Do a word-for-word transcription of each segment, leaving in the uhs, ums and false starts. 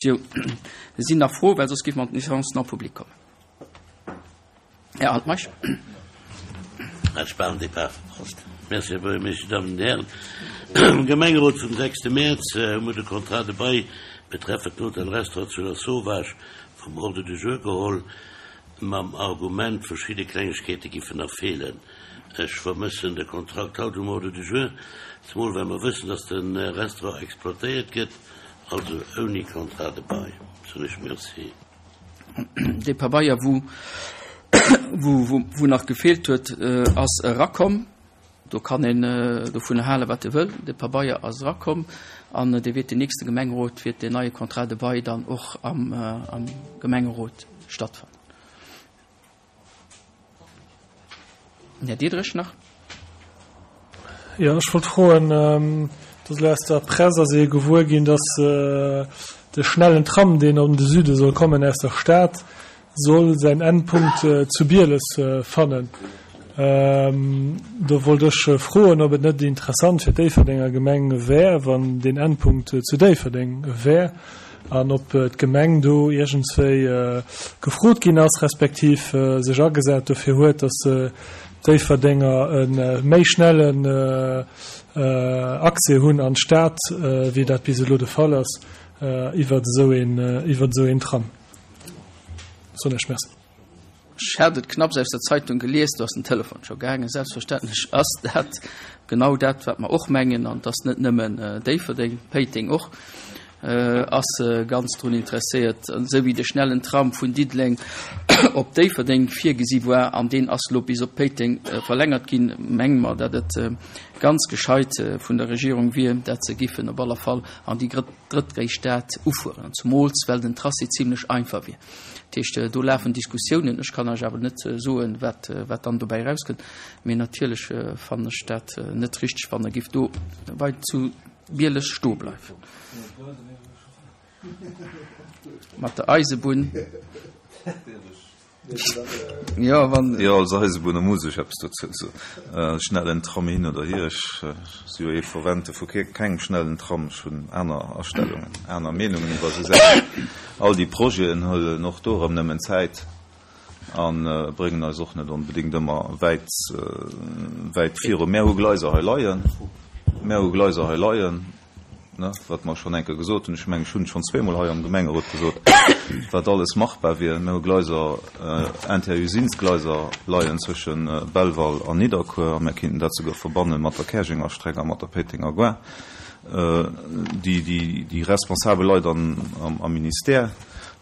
Sinn nach Froen, well soss géife mer an d'Séance non publique kommen. Här Altmeisch. Hat ech bal en Depart verpasst. Merci, Här Buergermeeschter, Damen und Hären. Am Gemengerot vum sechste Mäerz hu mer de Contrat de bail betreffend den Hotel-Restaurant zu Lasauvage vum Ordre du jour geholl, mam Argument, verschidde Klengegkeete giffen nach feelen. Ech vermëssen de Kontrakt haut um Ordre du jour, zemol well mer wëssen, dass de Restaurant exploitéiert gëtt, also ouni Contrat de bail. Soen ech Merci. Dee Pabeier, wou, wou, wou nach gefeelt huet, ass erakomm. Do kann een dovun halen, wat e wëll. De Pabeier ass erakomm an dee wäert den nächste Gemengerot, wäert deen neie Contrat de bail dann och am, am Gemengerot stattfannen. Den Här Diederich nach. Jo, ech wollt froen, et ass elo aus der Press ass ee gewuer ginn, dass de schnellen Tram, deen an de Süde soll kommen aus der Stad, soll säin Endpunkt zu Bieles fannen. Do wollt ech froen, ob et net interessant fir d'Déifferdenger Gemeng wär, wann deen Endpunkt zu Déifferdeng wär an ob d'Gemeng do iergendswéi gefrot ginn ass, respektiv sech agesat dofir huet, dass d'Déifferdenger e méi schnellen Accès hunn an d'Stad, wéi dat bis elo de Fall ass, iwwert esou een Tram. Soen ech Merci. Ech hat et knapps aus der Zeitung gelies, do ass den Telefon scho gaangen. Selbstverständlech ass dat genau dat, wat mer och mengen, an et ass net nëmmen Déifferdeng, Péiteng och ass ganz drun interesséiert, esou wéi de schnellen Tram vun Diddeleng op Déifferdeng virgesi war, an deen ass elo bis op Péiteng verlängert ginn, menge mer, datt et ganz gescheit vun der Regierung wier, dat se giffen op aller Fall an déi drëttgréisst Stad ufueren, an zumools well den Tracé zimlech einfach wier. Dat heescht, do lafen Diskussiounen. Ech kann lech awer net soen, wat, wat dann dobäi erauskënnt. Mee natierlech fannen ech dat net richteg, wann e giff do bei zu Bieles stoe bleiwen. Mat der Eisebunn. Jo, wann. Jo, als Eisebunner muss ech eppes dozou soen. Schnellen Tram hin oder hier, ech si jo ee Fervente vu kengem schnellen Tram. Ech hunn aner Astellungen, aner Meenungen iwwer esou Saachen. All déi Projeten huelen och do erëm nëmmen Zäit a bréngen eis och net onbedéngt ëmmer wäit, wäit viru. Mär hu Gleiser hei leien, mär hu Gleiser hei leien, ne, wat mer schonn eng Kéier gesot hunn, ech mengen, ech hunn et schonn zweemol hei am Gemengerot gesot, wat alles machbar wier. Mir hu Gleiser, Interusines-Gleiser leien zwësche Belval an Nidderkuer, a mir kéinten dat souguer verbanne mat der Käerjenger Streck a mat der Péitenger Gare. Déi, déi, déi responsabel Leit an, am, am Ministère,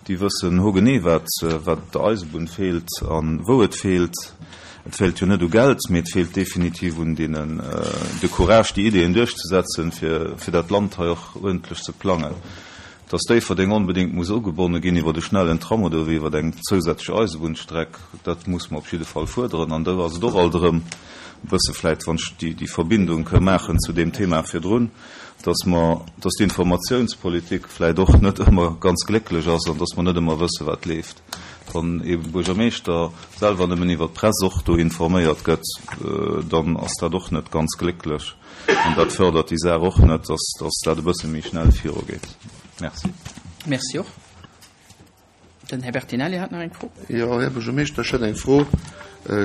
déi wëssen hogenee, wat, wat der Eisebunn feelt a wou et feelt. Et feelt jo net u Geld, mee et feelt definitiv un deenen, de Courage, déi Ideeën duerchzesetzen, fir, fir dat Land hei och uerdentlech ze plangen. Dass Déifferdeng onbedéngt muss ugebonne ginn iwwer e schnellen Tram oder iwwer eng zousätzlech Eisebunnstreck, dat muss mer op jidde Fall fuerderen. An do ass et och alt erëm e bësse vläicht, wann ech déi, déi Verbindung ka maachen zu deem Thema virdrun, dass mer, dass d'Informatiounspolitik vläicht och net ëmmer ganz glécklech ass an dass mer net ëmmer wësse wat leeft. Wann ee Buergermeeschter selwer nëmmen iwwer d'Press och do informéiert gëtt, dann ass dat och net ganz glécklech an dat fërdert déi Saach och net, dass, dass dat e bësse méi schnell virugeet. Merci. Merci och. Den Här Bertinelli hat nach eng Fro. Jo, Här Buergermeeschter, ech hätt eng Fro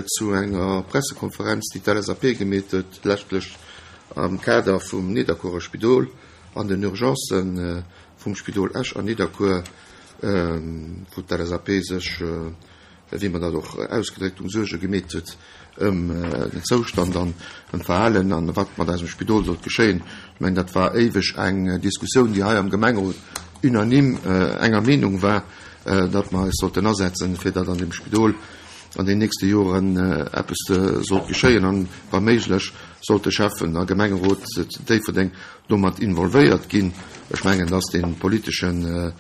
zu enger Pressekonferenz, déi d'L S A P gemeet huet, leschtlech am Kader vum Nidderkuerer Spidol an den Urgencen vum Spidol Esch an Nidderkuer, wou d'L S A P sech, wéi man dat och ausgedréckt hunn, Suerge gemeet huet ëm den Zoustand an ëm d'Verhalen an wat mat eisem Spidol sollt geschéien. Ech mengen, dat war éiweg eng Diskussioun, déi hei am Gemengerot unanime enger Meenung war, datt mer eis sollten asetzen, fir datt an dem Spidol an den nächste Joren eppes sollt geschéien an wa méiglech sollt de Schäffen a Gemengerot zu Déifferdeng domat involvéiert ginn. Ech mengen, dass den politeschen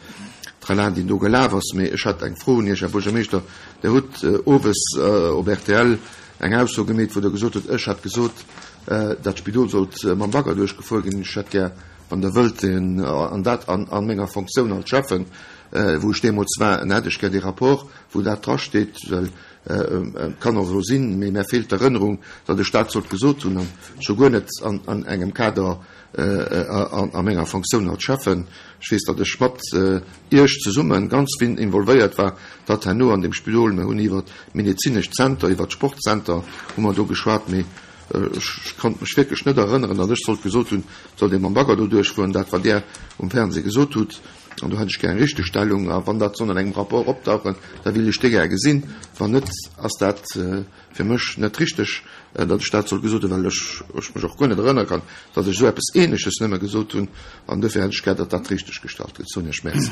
Tralala, deen do gelaf ass, mee ech hätt eng Fro un Iech, Här Buergermeeschter. Der hutt owes op R T L eng Ausso gemeet, wou der gesot hutt, ech hätt gesot, dat Spidol sollt mam Bagger duerchgefuer ginn. Ech hätt gär, Wann Der wëllt, an dat an menger Fonctioun als Schäffen, wou ech deemools war, en hätt ech gär dee Rapport, wou dat drasteet, well et kann och esou sinn, mee mär feelt d'Erënnerung, datt ech dat sollt gesot hunn, a scho guer net an engem Kader a menger Fonctioun als Schäffen. Ech weess, datt ech mat Iech zesumme ganz vill involvéiert war, datt herno an deem Spidol, mir hunn iwwert d'medezinescht Zenter, iwwert d'Sportzenter hu mer do geschwat, mee ech konnt mech wierklech net erënneren, datt ech sollt gesot hunn, et sollt ee mam Bagger do duerchfueren, dat wat Där um Fernseh gesot hutt. An do hätt ech gär eng Richtegstellung. A wann dat soll an engem Rapport optauchen, da wéilt ech dee gär gesinn. Wann net, ass dat fir mech net richteg, datt ech dat soll gesot hunn, well ech mech och guer net erënnere kann, datt ech esou eppes Ähnleches nëmme gesot hunn. An dofir hätt ech gär, datt dat richteggestallt gëtt. Soen Iech Merci.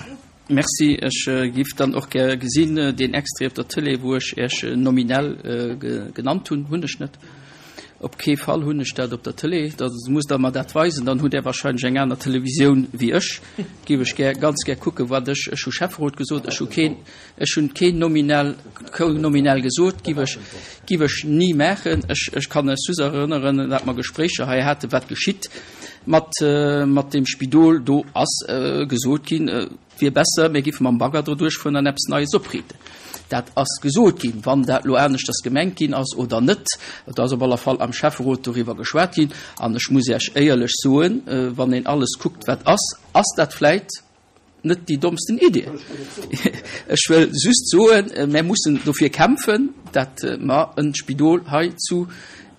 Merci. Ech giff dann och gär gesinn, deen Extrait op der Tëlee, wou ech Iech nominell genannt hunn, hunn ech net. Op kee Fall hunn ech dat op der Tëlee. Da musst Der mer dat weisen. Dann hutt Der wahrscheinlech eng aner Televisioun wéi ech. Giff ech gär, ganz gär kucken, wat ech, ech hu Schäfferot gesot, ech hu keen, ech hunn keen nominell, nominell gesot, giff ech, giff ech ni maachen. Ech, ech kann ech just erënneren, dat mer Gespréicher hei haten, wat geschitt mat, mat deem Spidol. Do ass gesot ginn, et wier besser, mir giffe mam Bagger do duerchfueren an eppes Neies opriiten. Dat ass gesot ginn. Wann dat elo aneschters gemengt ginn ass oder net, et ass op alle Fall am Schäfferot doriwwer geschwat ginn. An ech muss Iech éierlech soen, wann een alles kuckt, wat ass, ass dat vläit net déi dommsten Idee. Ech wëll just soen, mir mussen dofir kämpfen, dat mer e Spidol hei zu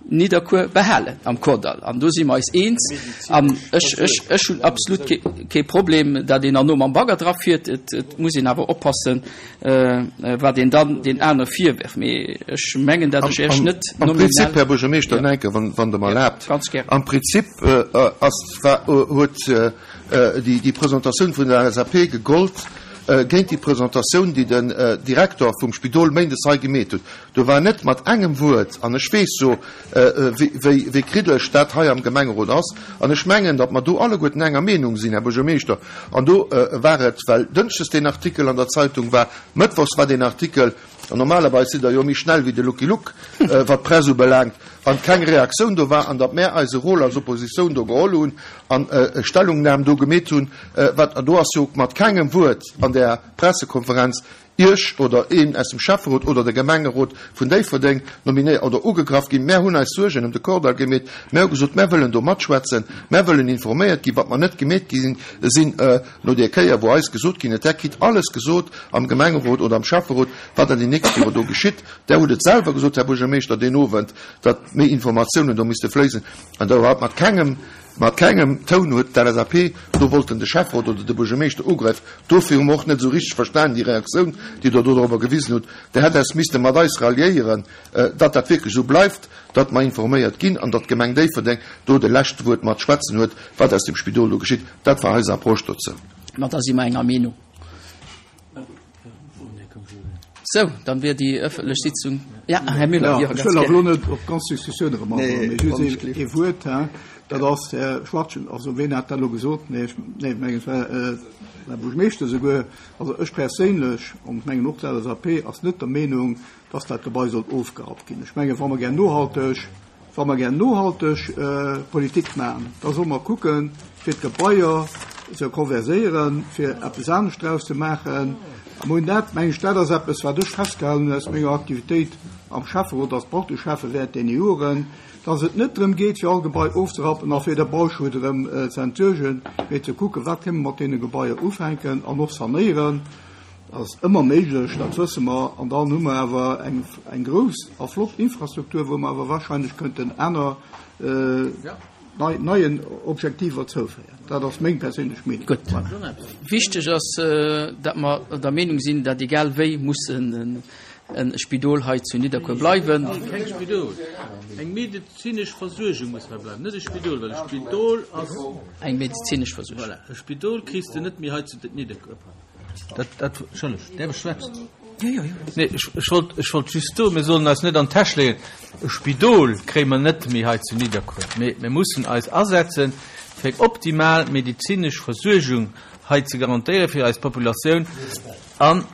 Nidderkuer behalen am Kordall. An do si mer eis eens. An ech, ech, ech hunn absolut kee, kee Problem, datt een herno mam Bagger drafiert. Et, et muss een awer oppassen, wat een dann den anere virwerft. Mee ech mengen, datt ech Iech net nominell. Am Prinzip, Här Buergermeeschter, ja. Enke, wann, wann Der mer erlaabt. Ganz gär. Am Prinzip ass, war, huet déi, déi Presentatioun vun der L S A P gegollt géint déi Presentatioun, déi den Direktor vum Spidol méindes hei gemeet huet. Do war net mat engem Wuert, an ech weess jo, wéi, wéi kriddeleg dat hei am Gemengerot ass, an ech mengen, datt mer do alleguerten enger Meenung sinn, Här Buergermeeschter. An do war et, well dënschdes deen Artikel an der Zeitung war, mëttwochs war deen Artikel, an normalerweis sidd Der jo méi schnell wéi de Lucky Luke, wat d'Press ubelaangt, an keng Reaktioun do war, an datt mär eise Rôle als Oppositioun do geholl hunn an Stellungnam do gemeet hunn, wat, an do ass jo mat kengem Wuert an der Pressekonferenz Iech oder een aus dem Schäfferot oder de Gemengerot vun Déifferdeng nominéiert oder ugegraff ginn. Mär hunn eis Suergen ëm de Kordall gemeet. Mär hu gesot, mär wëllen do matschwätzen, mär wëllen informéiert ginn, wat mer net gemeet gi sinn no där Kéier, wou eis gesot ginn huet, där kritt alles gesot am Gemengerot oder am Schäfferot, wat an den nächste Jore do geschitt. Där hutt et selwer gesot, Här Buergermeeschter, deen Owend, datt méi Informatiounen do misste fléisen. An do hat mat kengem Mat kengem Toun huet d'L S A P do wollten de Schäfferot oder de Buergermeeschter ugräifen. Dofir hu mer och net esou richteg verstan déi Reaktioun, déi Der do dorobber gewisen hutt. Der hätt eis misste mat eis ralliéieren, datt dat wierklech esou bleift, datt mer informéiert ginn an datt d'Gemeng Déifferdeng do de leschte Wuert mat schwätzen huet, wat aus dem Spidol do geschitt. Dat war eis Approche dozou. Ma da si mer enger Meenung. Sou, dann wier déi ëffentlech Sitzung. Ja, Här Müller, Ja, ech wëll awer elo net op d'ganz Diskussioun erëm agoen, mee just ee, ee Wuert, hein. Dat ass, Här Schwachtgen, also ween hat dat elo gesot? Nee, ech, nee, ech mengen, et war Här Buergermeeschter esouguer. Also ech perséinlech, an ech mengen och d'L S A P, ass net der Meenung, dass dat Gebai sollt ofgerappt ginn. Ech mengen, wa mer gär nohalteg, wa mer gär nohalteg Politik maachen, da solle mer kucken, fir d'Gebaier ze konverséieren, fir eppes anescht draus ze maachen. A mir hunn dat, meng ech, dat ass eppes, wat ech festgehalen hunn aus menger Aktivitéit am Schäfferot als Bauteschäffe während deene Joren, dass et net drëm geet, fir all Gebai ofzerappen a fir de Bauschutt erëm ze entsuergen, mee ze kucken, wat kënne mer mat deene Gebaier ufänken an och sanéieren. Dat ass ëmmer méiglech, dat wësse mer. An dann hu mer awer eng, eng grouss a flott Infrastruktur, wou mer awer wahrscheinlech könnten aner, nei, neien Objektiver zouféieren. Dat ass meng perséinlech Meenung. Gutt. Wichteg ass, datt mer der Meenung sinn, datt egal wéi muss en, en Spidol hei zu Nidderkuer bleiwen. Keng Spidol. Eng medezinesch Versuergung muss hei bleiwen, net e Spidol, well e Spidol ass Eng medezinesch Versuergung. Voilà. E Spidol kriss de net méi hei zu Nidderkuer. Dat, dat, Entschëllegt, däerf ech schwätzen? Jo, jo, jo. Nee, ech, ech wollt, ech wollt just soen, mir sollen eis net an d'Täsch leeën. E Spidol kréie mer net méi hei zu Nidderkuer. Mee mir mussen eis asetzen, fir eng optimal medezinesch Versuergung hei ze garantéieren fir eis Populatioun. An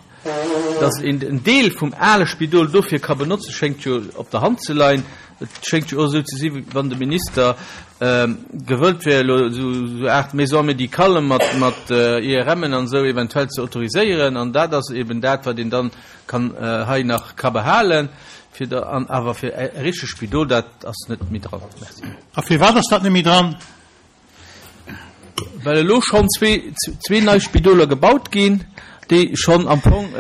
Dass een en Deel vum ale Spidol dofir ka benotzen, schéngt jo op der Hand ze leien. Et schéngt jo och esou ze si wéi wann de Minister gewëllt wär elo esou Aart Maison médicale mat mat I R M'en an esou eventuell ze autoriséieren. An dat ass eben dat, wat een dann kann hei nach ka behalen, fir da, an awer fir e richtegt Spidol, dat ass net méi dran. Merci. A firwat ass dat net méi dran? Well elo schonn zwee, zwee nei Spidoler gebaut ginn, déi schonn am Fong,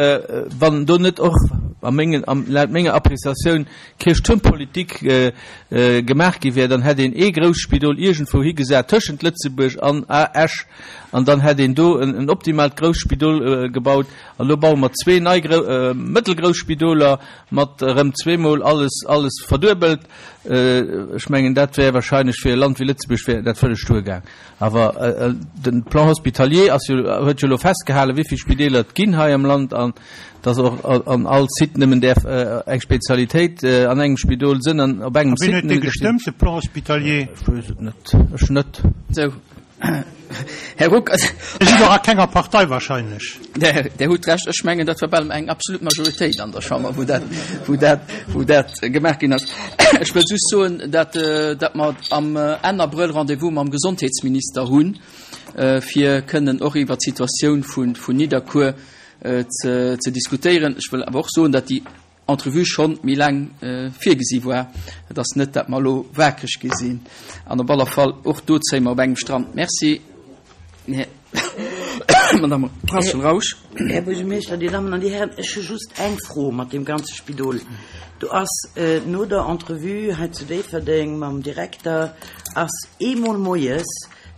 wann do net och a mengen, am, laut menger Appréciatioun Kierchtuermpolitik gemaach gi wär, dann hätt een ee grousst Spidol iergendwou higesat tëschent Lëtzebuerg an Esch an dann hätt een do en, en optimaalt grousst Spidol gebaut. An elo baue mer zwee nei grou-, mëttelgrouss Spidoler mat erëm zweemol alles, alles verduebelt. Ech mengen, dat wär wahrscheinlech fir e Land wéi Lëtzebuerg wär dat vëlleg duergaang. Awer den Plan hospitalier ass jo, huet jo elo festgehalen, wéi vill Spideeler et ginn hei am Land an dass och an all Site nëmmen däerf eng Spezialitéit an engem Spidol sinn an op engem A wien Site huet dee nëmmen däerf gestëmmt, de Plan hospitalier? Ech weess et net. Ech net. Sou. Här Ruck, also Dir sidd och a kenger Partei wahrscheinlech. Der, der hutt recht. Ech mengen, dat war bal eng absolut Majoritéit an der Chamber, wou dat, wou dat, wou dat gemaach ginn ass. Ech wëll just soen, dat, dat mer am Enn Abrëll Rendez-vous mam Gesondheetsminister hunn, fir kënnen och iwwer d'Situatioun vun, vun Nidderkuer ze, ze diskutéieren. Ech wëll awer och soen, dat déi Entrevue schonn méi laang virgesi war. Et ass net, dat mer elo wakereg gi sinn. An op aller Fall och do zéie mer op engem Strand. Merci. Madame Rausch. Här Buergermeeschter, Dir Dammen an Dir Herren, ech hu just eng Fro mat dem ganze Spidol. Do ass no der Entrevue hei zu Déifferdeng mam Direkter ass eemol moies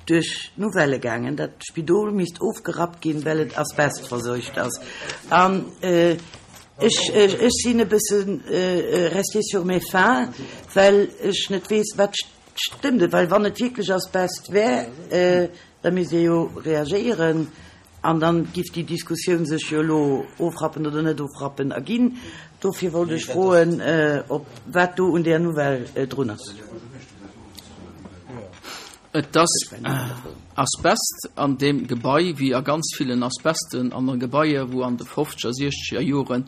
duerch d'Nouvelle gaangen, dat d'Spidol misst ofgerappt ginn, well et asbestverseucht ass. An ech, ech sinn e bëssen resté sur mes fins, well ech net weess, wat stëmmt et, well wann et wierklech Asbest wär, da misst ee jo reagéieren an dann giff déi Diskussioun sech jo elo ofrappen oder net ofrappen erginn. Dofir wollt ech froen, ob wat do un där Nouvelle drun ass. Et ass Asbest an dem Gebai, wéi a ganz villen Asbesten an den Gebaier, wou an de fofzeger, siechzeger Joren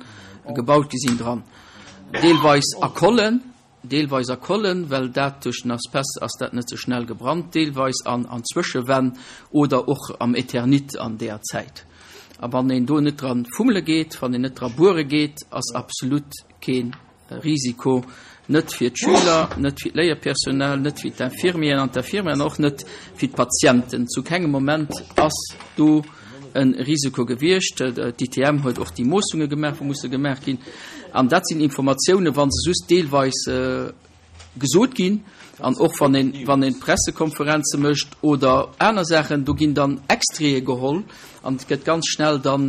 gebaut gi sinn dran. Deelweis a Kollen, deelweis a Kollen, well dat duerch den Asbest ass dat net so schnell gebrannt, deelweis an, an Zwëschewänn oder och am Eternit an der Zäit. A wann een do net dran fummele geet, wann een net dran buere geet, ass absolut keen Risiko, net fir d'Schüler, net fir d'Léierpersonal, net fir d'Infirmieren an d'Infirmieren, och net fir d'Patienten. Zu kengem Moment ass do en Risiko gewiescht. D'I T M huet och déi Moossunge gemaach, wou musse gemaach ginn. An dat sinn Informatiounen, wann se just deelweis gesot ginn, an och wann een, wann een Pressekonferenze mécht oder aner Saachen, do ginn dann Extraite geholl an et gëtt ganz schnell dann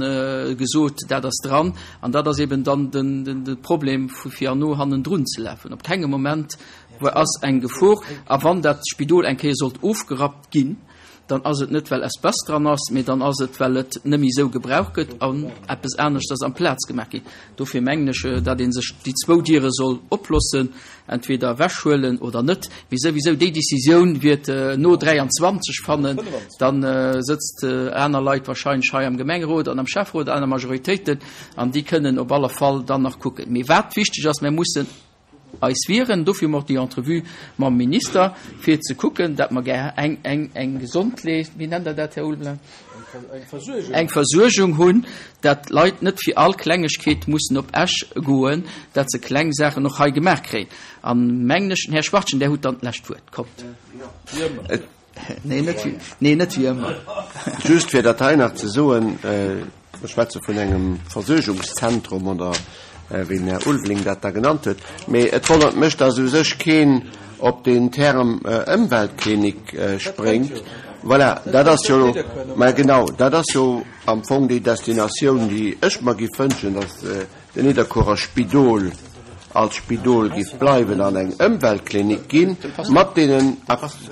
gesot, dat ass dran. An dat ass eben dann den, den, den Problem, vu fir an no hannendrun ze lafen. Op kengem Moment wo ass eng Gefor. A wann dat Spidol eng Kéier sollt ofgerappt ginn, dann ass et net, well Asbest dran ass, mee dann ass et, well et net méi sou gebraucht gëtt an eppes anescht ass am Plaz gemaach ginn. Dofir mengen ech, datt een sech déi zwou Diere soll oplossen, entweder weghuelen oder net. Mee souwisou déi Decisioun wird no dräianzwanzeg fannen, dann sëtzt aner Leit wahrscheinlech hei am Gemengerot an am Schäfferot, aner Majoritéiten, an déi kënnen op alle Fall dann nach kucken. Mee wat wichteg ass, mir mussen eis wieren, dofir macht die Entrevue mam Minister, fir ze kucken, dat mer ger eng, eng, eng Gesondlees, wie nennt er dat, Herr Ulblanc? Eng Versuergung. Eng Versuergung hunn, dat Leit net fir all Klengegkeet mussen op Esch goen, dat se kleng Sachen noch hei gemaach kréien. An mengen ech, den Herr Schwartchen, der huet dann d'lescht Wuert. Kommt. Nee, net wie, nee, net wie ëmmer. Just fir dat hei nach ze soen, äh, ech schwätze vun engem Versuergungszentrum oder wéi den Herr Ulveling dat da genannt huet. Mee et wonnert mech, dass u sech keen op den Term, äh, Ëmweltklinik, äh, spréngt. Voilà, dat ass jo, ma genau, dat ass jo am Fong déi Destinatioun, déi ech mer gi wënschen, dass, äh, den Nidderkuerer Spidol als Spidol giff bleiwen an eng Ëmweltklinik ginn, mat denen,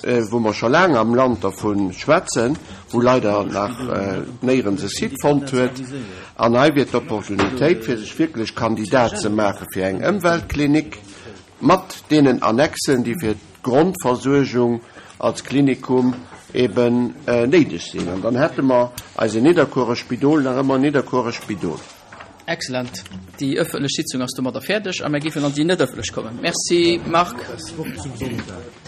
äh, wo mer scho laang am Land davon schwätzen, wo leider nach, äh, néierens e Site fonnt huet. An hei wird d'Opportunitéit, fir sech wierklech Kandidat ze maache fir eng Ëmweltklinik, mat denen Annexen, déi fir d'Grondversuergung als Klinikum eben, äh, néideg sinn. An dann hätte mer eise Nidderkuerer Spidol nach ëmmer Nidderkuerer Spidol. Excellent. Déi ëffentlech Sitzung ass domadder fäerdeg a mir géifen an déi net ëffentlech kommen. Merci, Marc. Das Wort zum Sonntag.